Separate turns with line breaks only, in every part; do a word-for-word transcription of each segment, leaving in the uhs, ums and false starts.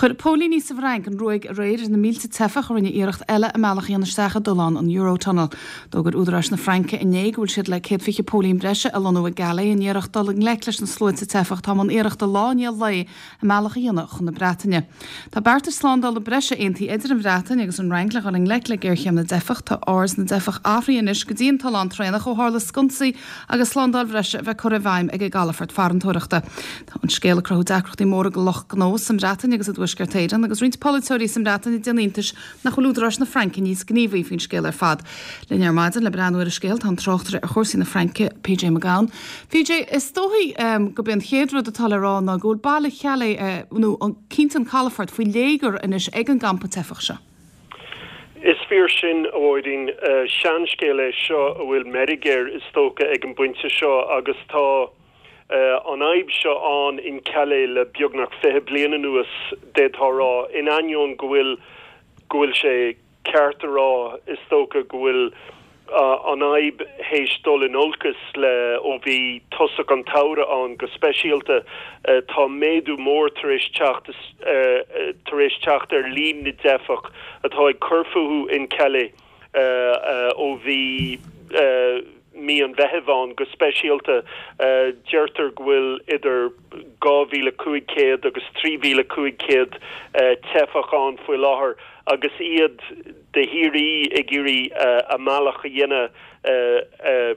Chuir póilíní sa bhFrainc an ruaig aréir ar na mílte teifeach a rinne iarracht eile a mbealach a dhéanamh isteach i dtollán an Eurotunnel. D'fhógair údaráis na Fraince inné go bhfuil siad le céad fiche póilín breise a lonnú i gCalais in iarracht dul i ngleic leis na sluaite teifeach atá i mbun iarrachta lá i ndiaidh lae a mbealach a dhéanamh chun na Breataine. Tá beartas slándála breise aontaithe idir an Bhreatain agus an Fhrainc le dhul i ngleic le géarchéim na dteifeach tá aird na dteifeach athraithe anois go dtí an tollán traenach ó tharla sconsaí agus slándáil bhreise a bheith curtha i bhfeidhm ag an gcalafort farantóireachta. Tá an scéal ag cruthú deacrachtaí móra do lucht gnó sa mBreatain agus i dTuaisceart Éireann agus roinnt polaiteoirí sa mBreatain ag déanamh iontais nach bhfuil údaráis na Fraince níos gníomhaí faoin scéal ar fad. Linn ar maidin le breathnú ar an scéal tá an tráchtaire ar chúrsaí na Fraince PJ Mac Gabhann. PJ is dóigh um, gurb é an chéad rud atá le rá ná go bhfuil baile Chalais uh, nó an cinnte an calafort faoi léigear anois ag an gcampa teifeach seo.
Is fíor sin a Mháirín uh, seanscéal é seo a bhfuil meirg air is dócha ag an bpointe seo agus tá uh, an fhadhb seo ann in Calais le beagnach fiche bliain anuas d'fhéadfá rá in ainneoin go bhfuil go bhfuil sé ceart a rá is dócha go bhfuil uh, an fhadhb théis dul in olcas le ó bhí tosach an tsamhraidh ann go speisialta uh, tá méadú mór tar éis teacht uh, tar éis teacht ar líon na dteifeach atá ag cur fúthu in Calais uh, uh, ó bhí uh, mí an Mheithimh ann go speisialta uh, deirtear go bhfuil idir dhá mhíle cúig chéad agus trí mhíle cúig chéad uh, teifeach ann faoi láthair agus iad de shíor ag iarraidh uh, a mbealach a dhéanamh uh, uh,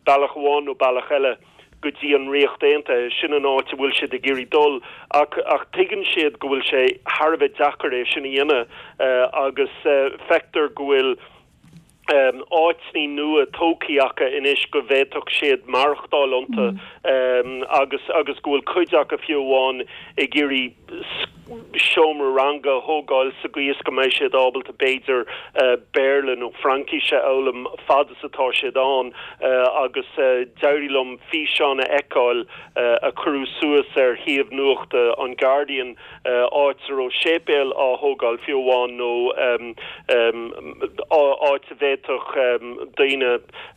bealach amháin nó bealach eile go dtí an Ríocht Aontaithe sin an áit a bhfuil siad ag iarraidh dul ach ach tuigeann siad go bhfuil sé thar a bheith deacair é sin a dhéanamh uh, agus uh, feictear go bhfuil um, áiteanna nua tógtha acu anois go bhféadfadh siad maireachtáil iontu mm. um, agus agus go bhfuil cuid acu fiú amháin ag iarraidh seomra ranga thógáil sa gcaoi is go mbeidh siad ábalta b'fhéidir uh, Béarla nó Fraincis a fhoghlaim fad is atá siad ann uh, agus uh, d'éirigh liom físeán a fheiceáil uh, a cuireadh suas ar shuíomh nuachta an Guardian uh, áit a raibh séipéal á thógáil fiú amháin nó um, um, áit a bhféadfadh um, daoine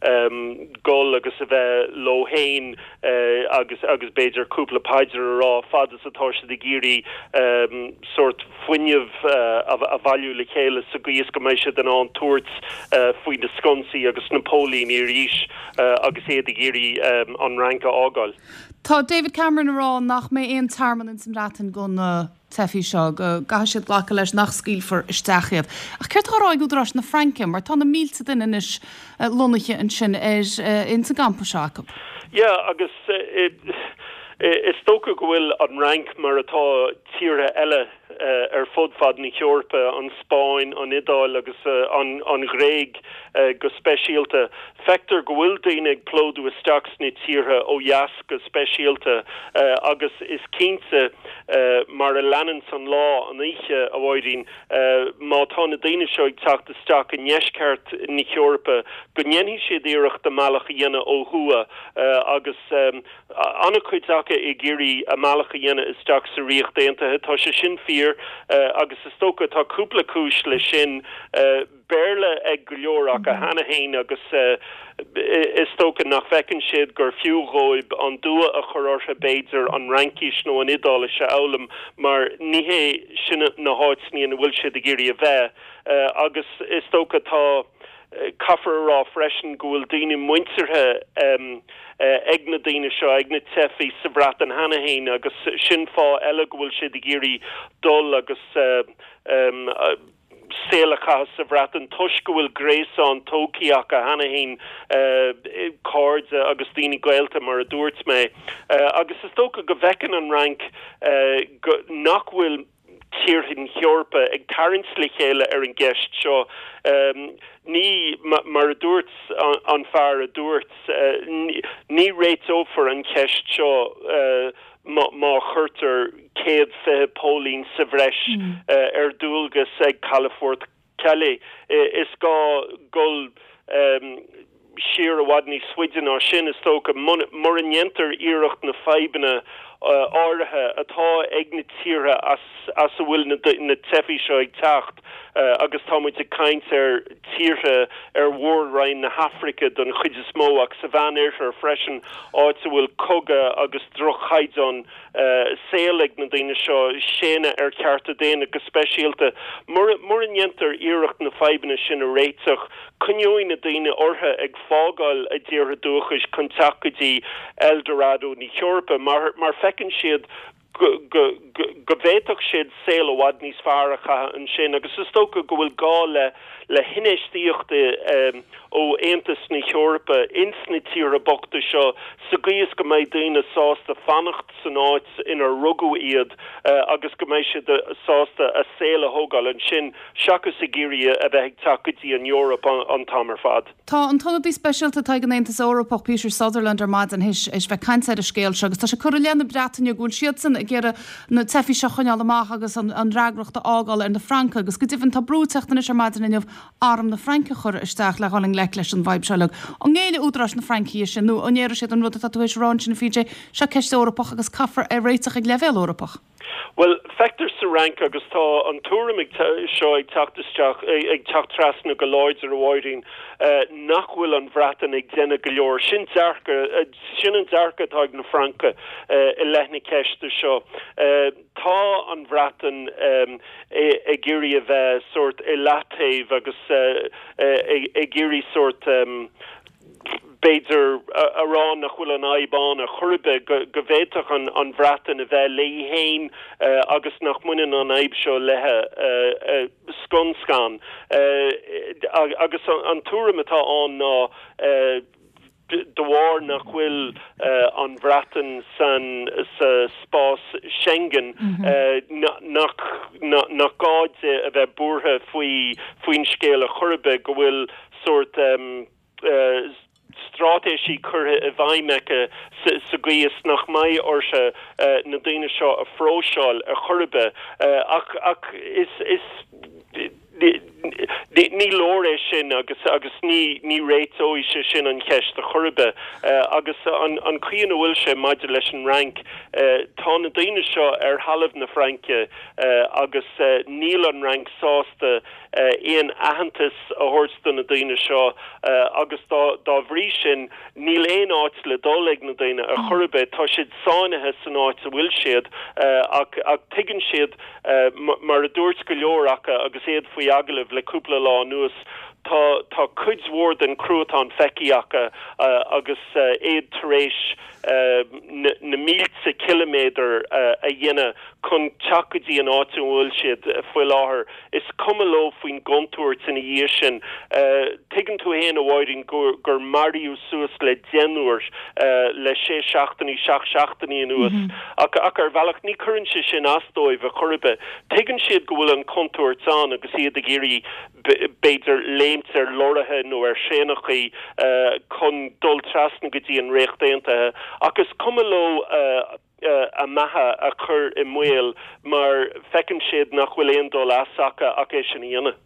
um, dul agus a bheith leo féin uh, agus agus b'fhéidir cúpla paidir a rá fad is atá siad ag iarraidh um, sórt fuinneamh uh, a, a bhailiú le chéile sa gcaoi is go mbeidh siad in ann tabhairt uh, faoi na sconsaí agus na póilíní arís uh, agus iad ag iarraidh um, an Fhrainc a fhágáil.
Tá David Cameron ag rá nach mbeidh aon tearmann sa mBreatain do na teifigh seo go gcaithfidh siad glacadh leis nach scaoilfear isteach iad. Ach céard atá á rá ag údaráis na Fraince, mar tá na mílte duine anois lonnaithe ansin ar ins an gcampa seo acu.
Ja agus uh, is dócha go bhfuil an Fhrainc mar atá tíortha eile uh, ar fud fad na hEorpa an Spáinn an Iodáil agus uh, an, an Ghréig uh, go speisialta. Feictear go bhfuil daoine ag plódú isteach sna tíortha ó dheas go speisialta uh, agus is cinnte uh, mar a leanann an lá an oíche a Mháirín uh, má tá na daoine seo ag teacht isteach i ndeisceart na hEorpa go ndéanfaidh siad iarracht a mbealach a dhéanamh ó thuaidh uh, agus um, an-chuid acu ag iarraidh a mbealach a dhéanamh isteach sa Ríocht Aontaithe tá sé sin fíor uh, agus is dócha tá cúpla cúis le sin uh, Béarla ag go leor acu cheana féin agus uh, is dócha nach bhfeiceann siad gur fiú dóibh an dua a chur orthu b'fhéidir an Fhraincis nó an Iodáilis a fhoghlaim mar ní hé sin na háiteanna ina bhfuil siad ag iarraidh a bheith uh, agus is dócha tá caithfear a rá freisin go bhfuil daoine muinteartha um, uh, ag na daoine seo ag na teifigh sa Bhreatain cheana féin agus sin fáth eile go bhfuil siad ag iarraidh dul agus uh, um, uh, saol a chaitheamh sa Bhreatain toisc go bhfuil gréasán tógtha acu cheana féin uh, cairde agus daoine gaolta mar a dúirt mé uh, agus is dócha go bhfeiceann an Fhrainc uh, go, nach bhfuil tíortha na hEorpa ag tarraingt le chéile ar an gceist seo um, ní mar a dúirt an, an fear a dúirt uh, ní, ní réiteofar an cheist seo uh, má, má chuirtear céad fiche póilín sa bhreis mm. uh, ar dualgas ag calafort Calais is gá dul um, siar i bhfad níos faide ná sin is dócha mura ndéantar iarracht na fadhbanna uh, áirithe atá ag na tíortha as, as a bhfuil na, na teifigh seo ag teacht agus tá muid ag caint ar tíortha ar mhór-roinn na hAfraice don chuid is mó ach sa Mheánoirthear freisin áit a bhfuil cogadh agus drochchaighdeán saoil ag na daoine seo séanadh ar chearta daonna go speisialta. Mura ndéantar iarracht na fadhbanna sin a réiteach, coinneoidh na daoine orthu ag fágáil a dtíortha dúchais chun teacht go dtí El Dorado na hEorpa mar mar feiceann siad go go go bhféadfadh siad saol i bhfad níos fearr a chaitheamh ansin agus is dócha go bhfuil gá le le hinfheistíocht ó Aontas na hEorpa ins na tíortha bochta seo sa gcaoi is go mbeidh daoine sásta fanacht san áit inar rugadh iad agus go mbeidh siad sásta a saol a thógáil ansin seachas ag iarraidh a bheith ag teacht go dtí an Eoraip an t-am ar fad.
Tá an t-ionadaí speisialta atá ag an Aontas Eorpach Peter Sutherland ar maidin théis bheith ag caint ar an scéal seo agus tá sé curtha i leith na Breataine go bhfuil siadsan ag iarraidh na teifigh seo a choinneáil amach agus an an fhreagracht a fhágáil ar na Francaigh agus go deimhin tá brú ag teacht anois ar maidin inniu arm na Fraince a chur isteach le dhul i ngleic leis an bhfadhb seo uilig. An ngéillfidh údaráis na Fraince dó sin nó an ndéarfaidh siad an rud atá tú théis a rá ansin a PJ, seo ceist Eorpach agus caithfear é a réiteach ag leibhéal Eorpach.
Well, feictear sa Fhrainc agus tá an tuairim seo ag teacht isteach ag teacht trasna go láidir a Mháirín nach bhfuil an Bhreatain ag déanamh go leor. Sin dearcadh sin an dearcadh atá ag na Francaigh i leith na ceiste seo. Tá an Bhreatain ag iarraidh a bheith sórt i leataobh agus ag iarraidh sórt b'fhéidir a rá nach bhfuil an fhadhb ann ar chor ar bith go go bhféadfadh an an Bhreatain a bheith léi féin agus nach mbaineann an fhadhb seo léi scun scan. Agus an tuairim atá ann ná de bharr nach bhfuil an Bhreatain san sa spás Schengen nach nach gá di a bheith buartha faoi faoin scéal ar chor ar bith go bhfuil sórt straitéisí curtha i bhfeidhm aici sa gcaoi is nach mbeidh uirthi na daoine seo a phróiseáil ar chor ar bith ach ach is is ní leor é sin agus agus ní ní réiteoidh sé sin an cheist ar chor ar bith agus an an chaoi ina bhfuil sé maidir leis an Fhrainc tá na daoine seo ar thalamh na Fraince agus níl an Fhrainc sásta aon aitheantas a thabhairt do na daoine seo agus dá dá bhrí sin níl aon áit le dul ag na daoine ar chor ar bith tá siad sáinnithe san áit a bhfuil siad ach ach tuigeann siad mar a dúirt go leor acu agus iad faoi agallamh le cúpla lá anuas tá tá cuid mhór den chruatan feicthe acu agus iad tar éis na mílte ciliméadar a dhéanamh chun teacht go dtí an áit a bhfuil siad faoi láthair. Is cuma leo faoin gcontúirt ina dhiaidh sin. Tuigeann tú féin a Mháirín gur gur maraíodh suas le deichniúr le sé seachtainí seacht seachtainí anuas ach ach ar bhealach ní chuireann sé sin as dóibh ar chor ar bith. Tuigeann siad go bhfuil an chontúirt ann agus iad ag iarraidh b'fhéidir léimt ar leoraithe nó ar thraenachaí chun dul trasna go dtí an Ríocht Aontaithe ach is cuma leo a mbeatha a chur i mbaol mar feiceann siad nach bhfuil aon dul as acu ach é sin a dhéanamh.